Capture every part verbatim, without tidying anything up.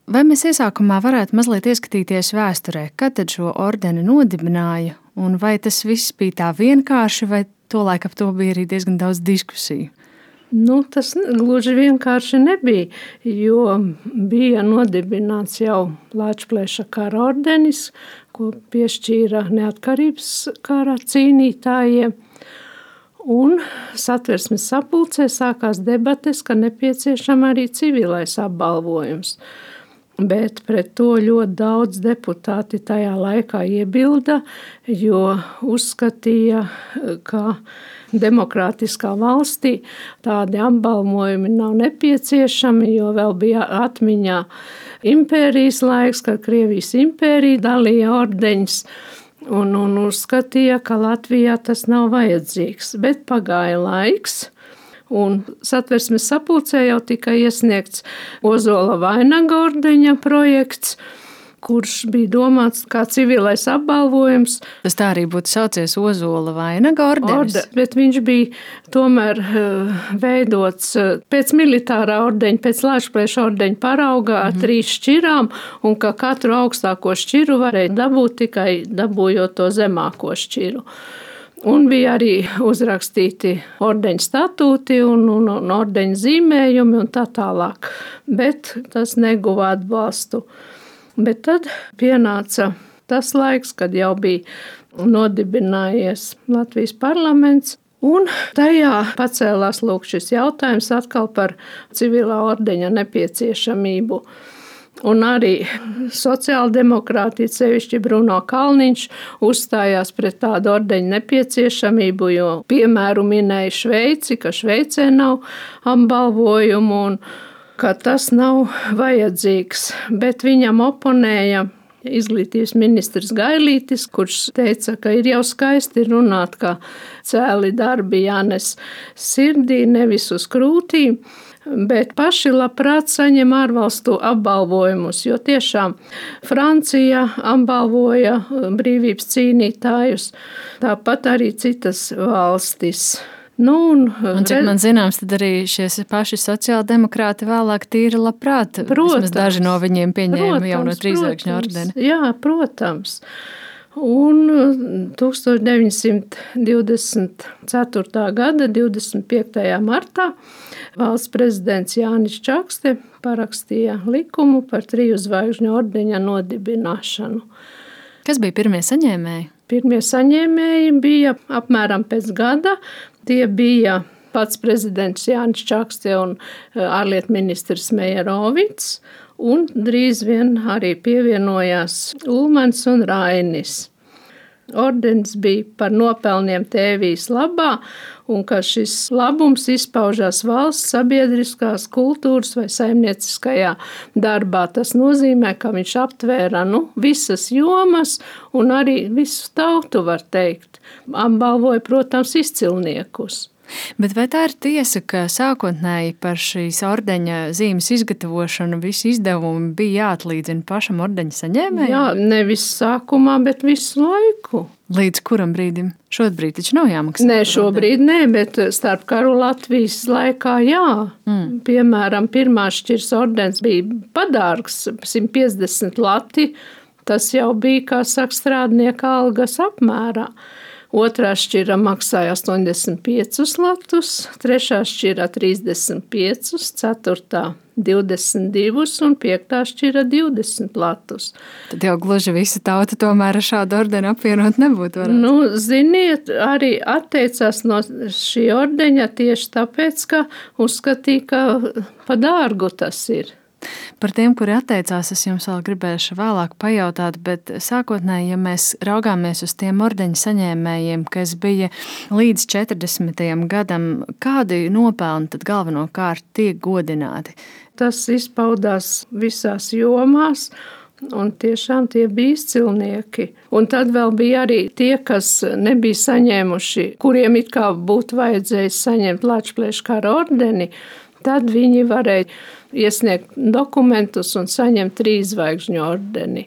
Vai mēs iesākumā varētu mazliet ieskatīties vēsturē, kad tad šo ordeni nodibināja, un vai tas viss bija tā vienkārši, vai tolaik ap to bija arī diezgan daudz diskusiju? Nu, tas gluži vienkārši nebija, jo bija nodibināts jau Lāčplēša kara ordenis, ko piešķīra neatkarības kara cīnītājiem. Un Satversmes sapulcē sākās debates, ka nepieciešama arī civilais apbalvojums. Bet pret to ļoti daudz deputāti tajā laikā iebilda, jo uzskatīja, ka demokrātiskā valstī tādi apbalvojumi nav nepieciešami, jo vēl bija atmiņā impērijas laiks, kad Krievijas impērija dalīja ordeņus. Un, un uzskatīja, ka Latvijā tas nav vajadzīgs, bet pagāja laiks, un Satversmes sapulcē jau tika iesniegts Ozola vainaga ordeņa projekts, kurš bija domāts kā civilais apbalvojums. Tas tā arī būtu saucies Ozola vainaga ordenis? Orde, bet viņš bija tomēr uh, veidots uh, pēc militārā ordeņa, pēc Lāčplēša ordeņa paraugā ar mm-hmm. trīs šķirām, un ka katru augstāko šķiru varēja dabūt tikai dabūjot to zemāko šķiru. Un bija arī uzrakstīti ordeņa statūti un, un, un ordeņa zīmējumi un tā tālāk, bet tas neguva atbalstu. Bet tad pienāca tas laiks, kad jau bija nodibinājies Latvijas parlaments, un tajā pacēlās lūk šis jautājums atkal par civilā ordeņa nepieciešamību. Un arī sociāldemokrāti, sevišķi Bruno Kalniņš, uzstājās pret tādu ordeņu nepieciešamību, jo piemēru minēja Šveici, ka Šveicē nav apbalvojumu un ka tas nav vajadzīgs, bet viņam oponēja izglītības ministrs Gailītis, kurš teica, ka ir jau skaisti runāt, ka cēli darbi jānes sirdī, nevis uz krūtīm, bet paši labprāt saņem ārvalstu apbalvojumus, jo tiešām Francija apbalvoja brīvības cīnītājus, tāpat arī citas valstis. Nu, un, un cik man zināms, tad arī šie paši sociāldemokrāti vēlāk tīri labprāt. Protams, daži no viņiem pieņēma protams, jau no trīsvaigžņu ordeni. Jā, protams. Un tūkstoš deviņsimt divdesmit ceturtā gada divdesmit piektajā martā valsts prezidents Jānis Čakste parakstīja likumu par triju zvaigžņu ordeņa nodibināšanu. Kas bija pirmie saņēmēji? Pirmie saņēmēji bija apmēram pēc gada. Tie bija pats prezidents Jānis Čakste un ārlietu ministrs Mejerovics, un drīz vien arī pievienojās Ulmans un Rainis. Ordenis bija par nopelniem tēvijas labā, un ka šis labums izpaužās valsts sabiedriskās kultūras vai saimnieciskajā darbā. Tas nozīmē, ka viņš aptvēra nu, visas jomas un arī visu tautu, var teikt. Apbalvoja, protams, izcilniekus. Bet vai tā ir tiesa, ka sākotnēji par šīs ordeņa zīmes izgatavošanu visi izdevumi bija jāatlīdzina pašam ordeņa saņēmējam? Jā, nevis sākumā, bet visu laiku. Līdz kuram brīdim? Šobrīd taču nav jāmaksā? Nē, šobrīd nē, bet starp karu Latvijas laikā jā. Mm. Piemēram, pirmā šķirs ordens bija padārgs, simt piecdesmit lati. Tas jau bija, kā saka, strādnieka algas apmērā. Otrā šķira maksāja astoņdesmit piecus latus, trešā šķira trīsdesmit piecus, ceturtā divdesmit divus un piektā šķira divdesmit latus. Tad jau gluži visa tauta tomēr ar šādu ordeni apvienot nebūtu varētu. Nu, ziniet, arī atteicās no šī ordeņa tieši tāpēc, ka uzskatīja, ka pa dārgu tas ir. Par tiem, kuri atteicās, es jums vēl gribēšu vēlāk pajautāt, bet sākotnēji, ja mēs raugāmies uz tiem ordeņu saņēmējiem, kas bija līdz četrdesmitajam gadam, kādi nopelni tad galvenokārt tiek godināti? Tas izpaudās visās jomās, un tiešām tie bija izcilnieki. Un tad vēl bija arī tie, kas nebija saņēmuši, kuriem it kā būtu vajadzējis saņemt Lāčplēša kara ordeni, tad viņi varēja iesniegt dokumentus un saņemt trīs zvaigžņu ordeni.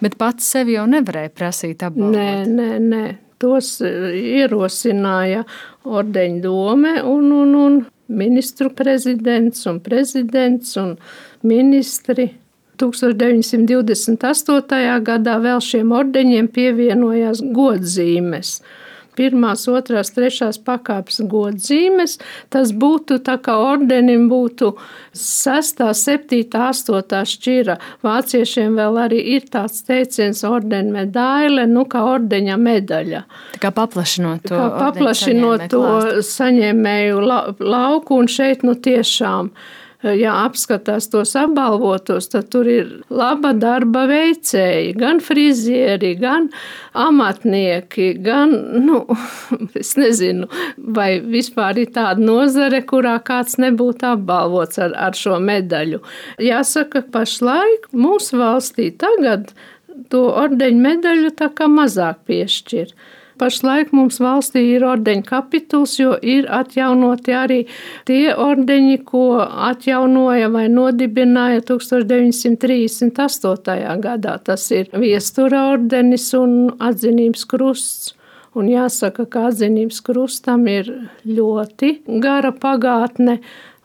Bet pats sevi jau nevarēja prasīt apbalvot? Nē, nē, nē. Tos ierosināja ordeņu dome un, un, un ministru prezidents un prezidents un ministri. tūkstoš deviņsimt divdesmit astotajā gadā vēl šiem ordeņiem pievienojās godzīmes. Pirmās, otrās, trešās pakāpes godzīmes, tas būtu tā kā ordenim būtu sestā, septītā, astotā šķira. Vāciešiem vēl arī ir tāds teiciens ordena medaile, nu kā ordeņa medaļa. Tā kā paplašinot to, kā paplašinot to saņēmēju lauku, un šeit nu tiešām, ja apskatās tos apbalvotos, tad tur ir laba darba veicēji, gan frizieri, gan amatnieki, gan, nu, es nezinu, vai vispār ir tāda nozare, kurā kāds nebūtu apbalvots ar, ar šo medaļu. Jāsaka, pašlaik mūsu valstī tagad to ordeņu medaļu tā kā mazāk piešķir. Pašlaik mums valstī ir ordeņu kapituls, jo ir atjaunoti arī tie ordeņi, ko atjaunoja vai nodibināja tūkstoš deviņsimt trīsdesmit astotajā gadā. Tas ir viestura ordenis un atzinības krusts. Un jāsaka, ka atzinības krustam ir ļoti gara pagātne.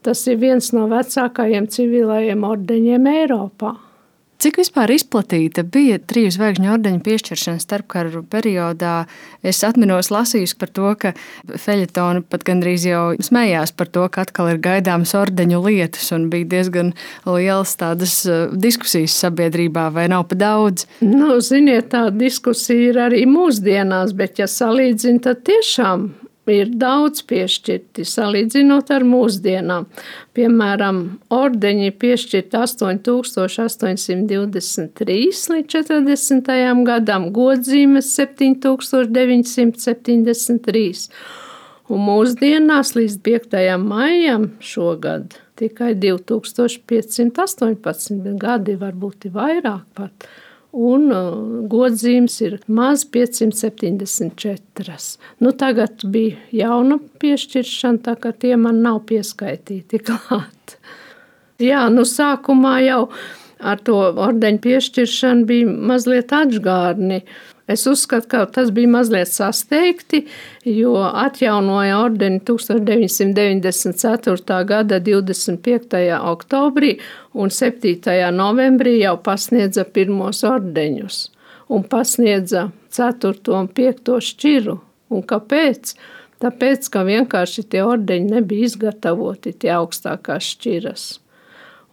Tas ir viens no vecākajiem civilajiem ordeņiem Eiropā. Cik vispār izplatīta bija triju zvaigžņu ordeņu piešķiršana starpkaru periodā? Es atminos lasījus par to, ka feļetoni pat gandrīz jau smējās par to, ka atkal ir gaidāmas ordeņu lietas, un bija diezgan lielas tādas diskusijas sabiedrībā, vai nav pa daudz? Nu, ziniet, tā diskusija ir arī mūsdienās, bet ja salīdzina, tad tiešām ir daudz piešķirti, salīdzinot ar mūsdienām. Piemēram, ordeņi piešķirti astoņi tūkstoši astoņsimt divdesmit trīs līdz četrdesmitajam gadam, godzīmes septiņi tūkstoši deviņsimt septiņdesmit trīs. Un mūsdienās līdz piektajam maijam šogad tikai divi tūkstoši piecsimt astoņpadsmit gadi, varbūt ir vairāk pat. Un godzīmes ir maz piecsimt septiņdesmit četras. Nu, tagad bija jauna piešķiršana, tā ka tie man nav pieskaitīti klāt. Jā, nu sākumā jau ar to ordeņu piešķiršanu bija mazliet atžgārni. Es uzskatu, ka tas bija mazliet sasteigti, jo atjaunoja ordeni tūkstoš deviņsimt deviņdesmit ceturtā gada divdesmit piektajā oktobrī un septītajā novembrī jau pasniedza pirmos ordeņus un pasniedza ceturto un piekto šķiru. Un kāpēc? Tāpēc, ka vienkārši tie ordeņi nebija izgatavoti, tie augstākās šķiras.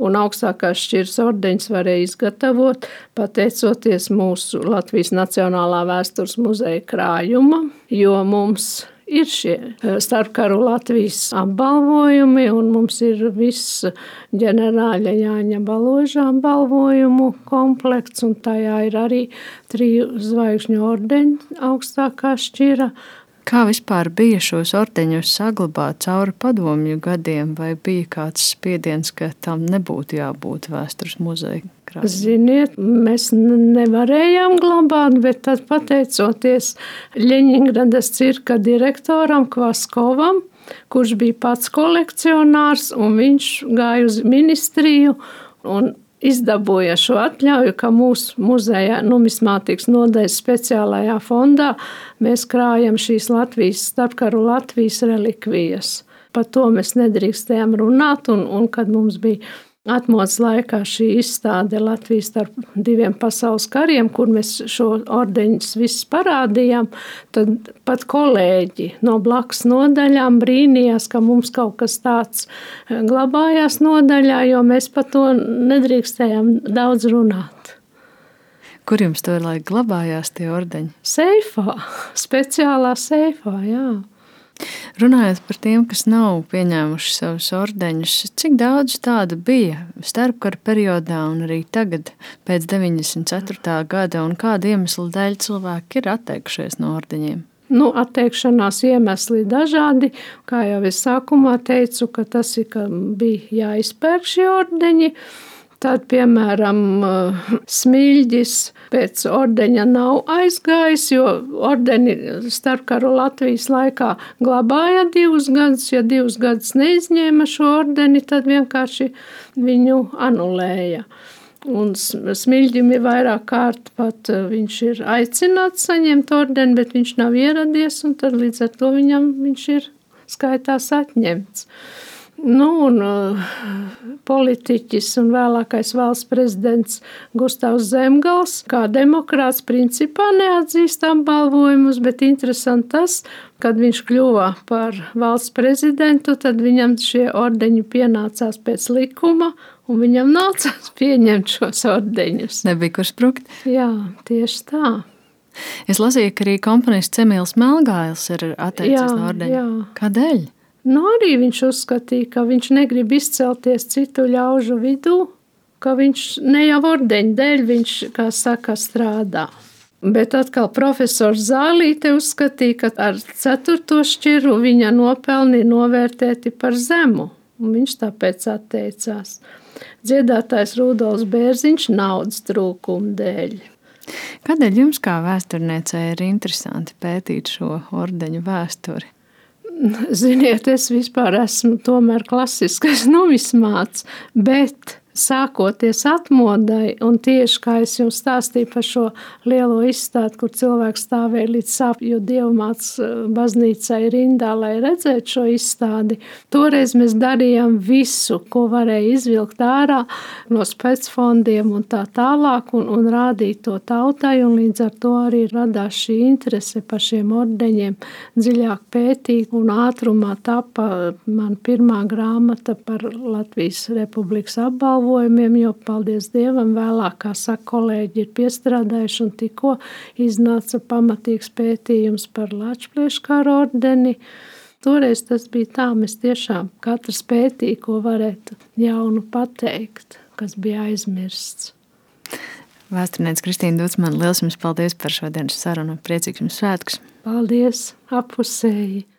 Un augstākās šķiras ordeņus varēja izgatavot, pateicoties mūsu Latvijas Nacionālā vēstures muzeja krājuma, jo mums ir šie starpkaru Latvijas apbalvojumi, un mums ir viss ģenerāļa Jāņa Baloža apbalvojumu komplekts, un tajā ir arī triju zvaigžņu ordeņu augstākā šķira. Kā vispār bija šos ordeņus saglabāt cauri padomju gadiem, vai bija kāds spiediens, ka tam nebūtu jābūt vēstures muzeja krājumā? Ziniet, mēs nevarējām glabāt, bet tad pateicoties Ļeņingradas cirka direktoram Kvaskovam, kurš bija pats kolekcionārs, un viņš gāja uz ministriju un izdabūja šo atļauju, ka mūsu muzejā numismātikas nodaļas speciālajā fondā mēs krājam šīs Latvijas, starpkaru Latvijas relikvijas. Par to mēs nedrīkstējām runāt, un, un kad mums bija atmodas laikā šī izstāde Latvijas starp diviem pasaules kariem, kur mēs šo ordeņus visus parādījām, tad pat kolēģi no blakus nodaļām brīnījās, ka mums kaut kas tāds glabājās nodaļā, jo mēs par to nedrīkstējām daudz runāt. Kur jums to laik glabājās tie ordeņi? Seifā, speciālā seifā, jā. Runājot par tiem, kas nav pieņēmuši savus ordeņus, cik daudz tādu bija starpkara periodā un arī tagad pēc deviņdesmit ceturtā gada, un kāda iemesla dēļ cilvēki ir atteikušies no ordeņiem? Nu, atteikšanās iemesli dažādi. Kā jau es sākumā teicu, ka tas ir, ka bija jāizpērk šie ordeņi. Tad, piemēram, Smilģis pēc ordeņa nav aizgājis, jo ordeni starpkaru Latvijas laikā glabāja divus gadus. Ja divus gadus neizņēma šo ordeni, tad vienkārši viņu anulēja. Un Smilģim ir vairāk kārt pat viņš ir aicināts saņemt ordeni, bet viņš nav ieradies, un tad līdz ar to viņam viņš ir skaitās atņemts. Nu, un uh, politiķis un vēlākais valsts prezidents Gustavs Zemgals, kā demokrāts, principā neatzīst apbalvojumus, bet interesanti tas, kad viņš kļuva par valsts prezidentu, tad viņam šie ordeņi pienācās pēc likuma, un viņam nācās pieņemt šos ordeņus. Nebija kur sprukt? Jā, tieši tā. Es lasīju, ka arī komponists Emīls Melgailis ir atteicies Jā, no ordeņa. jā. Kādēļ? Nu, arī viņš uzskatīja, ka viņš negrib izcelties citu ļaužu vidū, ka viņš ne jau ordeņu dēļ, viņš, kā saka, strādā. Bet atkal profesors Zālīte uzskatīja, ka ar ceturto šķiru viņa nopelni ir novērtēti par zemu, un viņš tāpēc atteicās. Dziedātājs Rudolfs Bērziņš naudas trūkuma dēļ. Kādēļ jums kā vēsturniecei ir interesanti pētīt šo ordeņu vēsturi? Ziniet, es vispār esmu tomēr klasiskais numismāts, bet sākoties atmodai, un tieši kā es jums stāstīju par šo lielo izstādi, kur cilvēks stāvēja līdz Sāpju Dievmātes baznīcai rindā, lai redzētu šo izstādi, toreiz mēs darījām visu, ko varēja izvilkt ārā no specfondiem un tā tālāk, un, un rādīt to tautai, un līdz ar to arī radās šī interese par šiem ordeņiem dziļāk pētīt, un ātrumā tapa man pirmā grāmata par Latvijas Republikas apbalvojumu, jo, paldies Dievam, vēlāk, kā saka, kolēģi ir piestrādājuši, un tikko iznāca pamatīgs pētījums par Lāčplēškara ordeni. Toreiz tas bija tā, mēs tiešām katrs pētīja, ko varētu jaunu pateikt, kas bija aizmirsts. Vēsturniece Kristīna Ducmane, liels jums paldies par šodienas sarunu. Priecīgs jums svētkus! Paldies, apusēji!